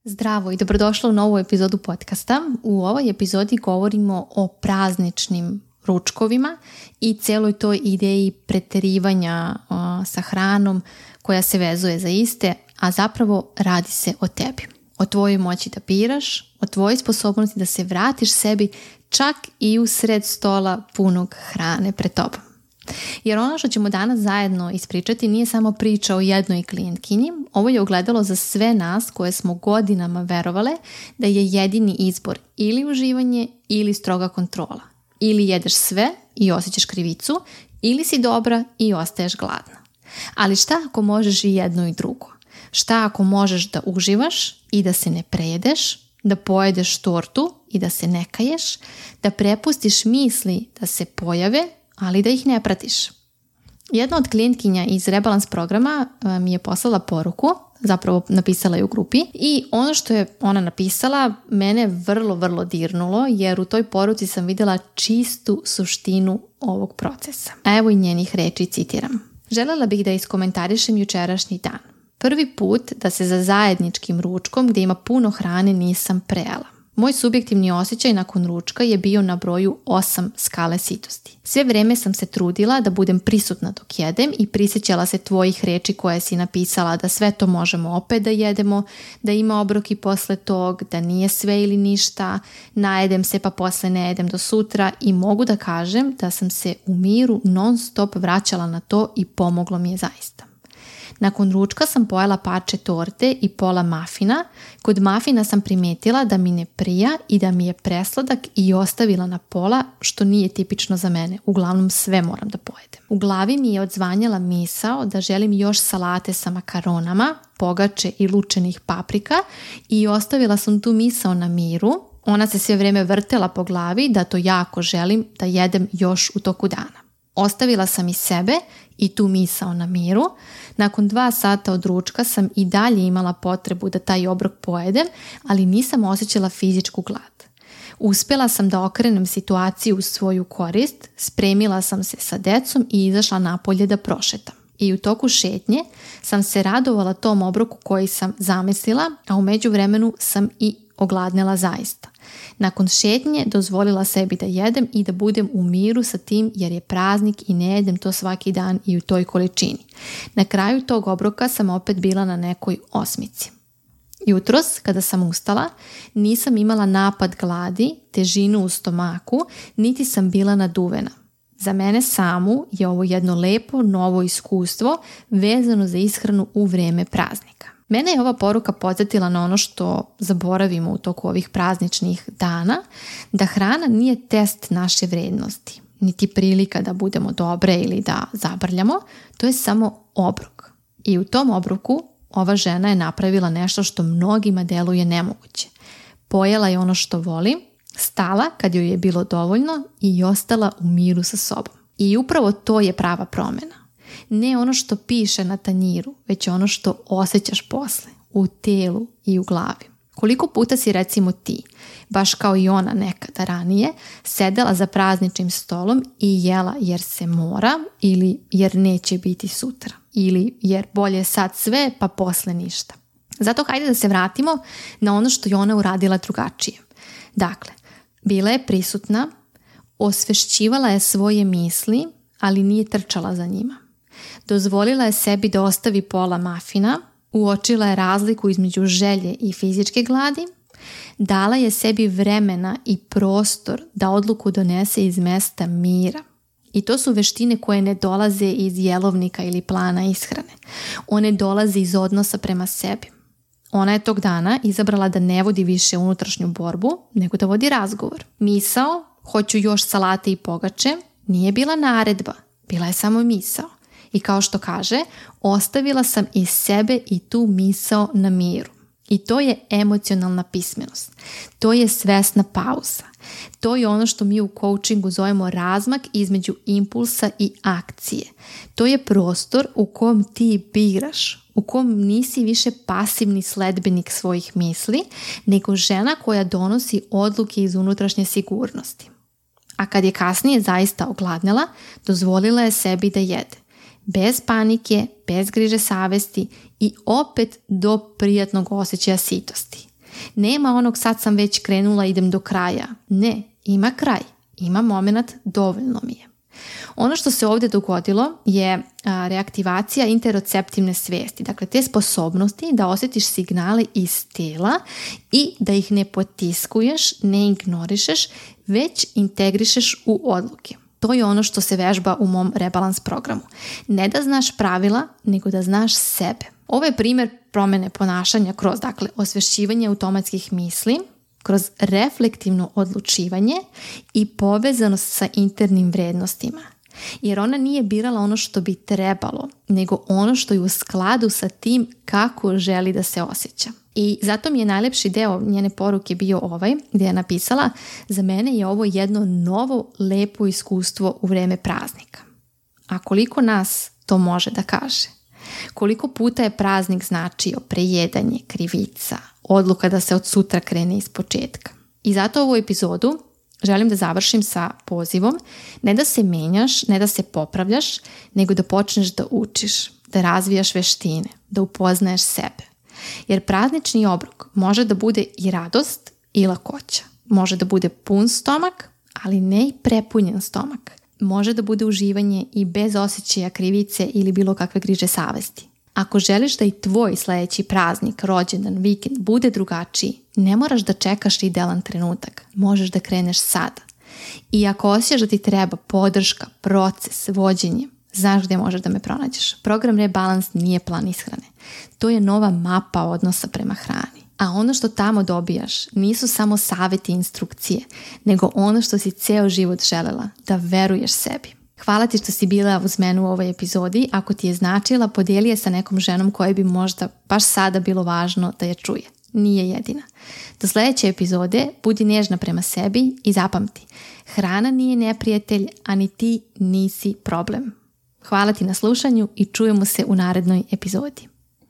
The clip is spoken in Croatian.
Zdravo i dobrodošla u novu epizodu podcasta. U ovoj epizodi govorimo o prazničnim ručkovima i cijeloj toj ideji preterivanja sa hranom koja se vezuje za iste, a zapravo radi se o tebi. O tvojoj moći da biraš, o tvojoj sposobnosti da se vratiš sebi čak i u sred stola punog hrane pred tobom. Jer ono što ćemo danas zajedno ispričati nije samo priča o jednoj klijentkinji, ovo je ogledalo za sve nas koje smo godinama verovale da je jedini izbor ili uživanje ili stroga kontrola. Ili jedeš sve i osjećaš krivicu, ili si dobra i ostaješ gladna. Ali šta ako možeš i jedno i drugo? Šta ako možeš da uživaš i da se ne prejedeš, da pojedeš tortu i da se ne kaješ, da prepustiš misli da se pojave, ali da ih ne pratiš? Jedna od klijentkinja iz Rebalans programa mi je poslala poruku, zapravo napisala je u grupi, i ono što je ona napisala mene vrlo dirnulo, jer u toj poruci sam vidjela čistu suštinu ovog procesa. A evo i njenih reči, citiram. Želela bih da iskomentarišem jučerašnji dan. Prvi put da se za zajedničkim ručkom gdje ima puno hrane nisam prejela. Moj subjektivni osjećaj nakon ručka je bio na broju 8 skale sitosti. Sve vrijeme sam se trudila da budem prisutna dok jedem i prisjećala se tvojih riječi koje si napisala da sve to možemo opet da jedemo, da ima obroki posle tog, da nije sve ili ništa, najedem se pa posle ne jedem do sutra i mogu da kažem da sam se u miru non stop vraćala na to i pomoglo mi je zaista. Nakon ručka sam pojela parče torte i pola mafina. Kod mafina sam primijetila da mi ne prija i da mi je presladak i ostavila na pola, što nije tipično za mene. Uglavnom sve moram da pojedem. U glavi mi je odzvanjala misao da želim još salate sa makaronama, pogače i lučenih paprika i ostavila sam tu misao na miru. Ona se sve vrijeme vrtela po glavi da to jako želim da jedem još u toku dana. Ostavila sam i sebe i tu misao na miru. Nakon 2 sata od ručka sam i dalje imala potrebu da taj obrok pojedem, ali nisam osjećala fizičku glad. Uspjela sam da okrenem situaciju u svoju korist, spremila sam se sa decom i izašla napolje da prošetam. I u toku šetnje sam se radovala tom obroku koji sam zamislila, a u međuvremenu sam i ogladnela zaista. Nakon šetnje dozvolila sebi da jedem i da budem u miru sa tim jer je praznik i ne jedem to svaki dan i u toj količini. Na kraju tog obroka sam opet bila na nekoj 8. Jutros, kada sam ustala, nisam imala napad gladi, težinu u stomaku, niti sam bila naduvena. Za mene samu je ovo jedno lepo novo iskustvo vezano za ishranu u vrijeme praznika. Mene je ova poruka podsjetila na ono što zaboravimo u toku ovih prazničnih dana, da hrana nije test naše vrijednosti, niti prilika da budemo dobre ili da zabrljamo, to je samo obrok. I u tom obroku ova žena je napravila nešto što mnogima deluje nemoguće. Pojela je ono što voli, stala kad joj je bilo dovoljno i ostala u miru sa sobom. I upravo to je prava promjena. Ne ono što piše na tanjiru, već ono što osjećaš posle, u telu i u glavi. Koliko puta si recimo ti, baš kao i ona nekada ranije, sedela za prazničnim stolom i jela jer se mora ili jer neće biti sutra ili jer bolje sad sve pa posle ništa. Zato hajde da se vratimo na ono što je ona uradila drugačije. Dakle, bila je prisutna, osvešćivala je svoje misli, ali nije trčala za njima. Dozvolila je sebi da ostavi pola mafina, uočila je razliku između želje i fizičke gladi, dala je sebi vremena i prostor da odluku donese iz mesta mira. I to su veštine koje ne dolaze iz jelovnika ili plana ishrane. One dolaze iz odnosa prema sebi. Ona je tog dana izabrala da ne vodi više unutrašnju borbu, nego da vodi razgovor. Misao, hoću još salate i pogače, nije bila naredba, bila je samo misao. I kao što kaže, ostavila sam iz sebe i tu misao na miru. I to je emocionalna pismenost. To je svesna pauza. To je ono što mi u coachingu zovemo razmak između impulsa i akcije. To je prostor u kom ti biraš, u kom nisi više pasivni sledbenik svojih misli, nego žena koja donosi odluke iz unutrašnje sigurnosti. A kad je kasnije zaista ogladnela, dozvolila je sebi da jede. Bez panike, bez griže savesti i opet do prijatnog osjećaja sitosti. Nema onog sad sam već krenula, idem do kraja. Ne, ima kraj, ima moment, dovoljno mi je. Ono što se ovdje dogodilo je reaktivacija interoceptivne svijesti, dakle te sposobnosti da osjetiš signale iz tela i da ih ne potiskuješ, ne ignorišeš, već integrišeš u odluke. To je ono što se vežba u mom rebalans programu. Ne da znaš pravila, nego da znaš sebe. Ovo je primjer promjene ponašanja kroz osvješćivanje automatskih misli, kroz reflektivno odlučivanje i povezanost sa internim vrijednostima. Jer ona nije birala ono što bi trebalo, nego ono što je u skladu sa tim kako želi da se osjeća. I zato mi je najljepši deo njene poruke bio ovaj, gdje je napisala: za mene je ovo jedno novo, lepo iskustvo u vrijeme praznika. A koliko nas to može da kaže? Koliko puta je praznik značio prejedanje, krivica, odluka da se od sutra krene iz početka. I zato ovu epizodu želim da završim sa pozivom ne da se menjaš, ne da se popravljaš, nego da počneš da učiš, da razvijaš veštine, da upoznaješ sebe. Jer praznični obrok može da bude i radost i lakoća. Može da bude pun stomak, ali ne i prepunjen stomak. Može da bude uživanje i bez osjećaja krivice ili bilo kakve griže savesti. Ako želiš da i tvoj sljedeći praznik, rođendan, vikend bude drugačiji, ne moraš da čekaš idealan trenutak. Možeš da kreneš sada. I ako osjećaš da ti treba podrška, proces, vođenje, znaš gdje možeš da me pronađeš. Program Rebalans nije plan ishrane. To je nova mapa odnosa prema hrani. A ono što tamo dobijaš nisu samo savjeti i instrukcije, nego ono što si ceo život želela, da veruješ sebi. Hvala ti što si bila uz mene u ovoj epizodi. Ako ti je značila, podijeli je sa nekom ženom kojoj bi možda baš sada bilo važno da je čuje. Nije jedina. Do sljedeće epizode budi nežna prema sebi i zapamti. Hrana nije neprijatelj, a ni ti nisi problem. Hvala ti na slušanju i čujemo se u narednoj epizodi.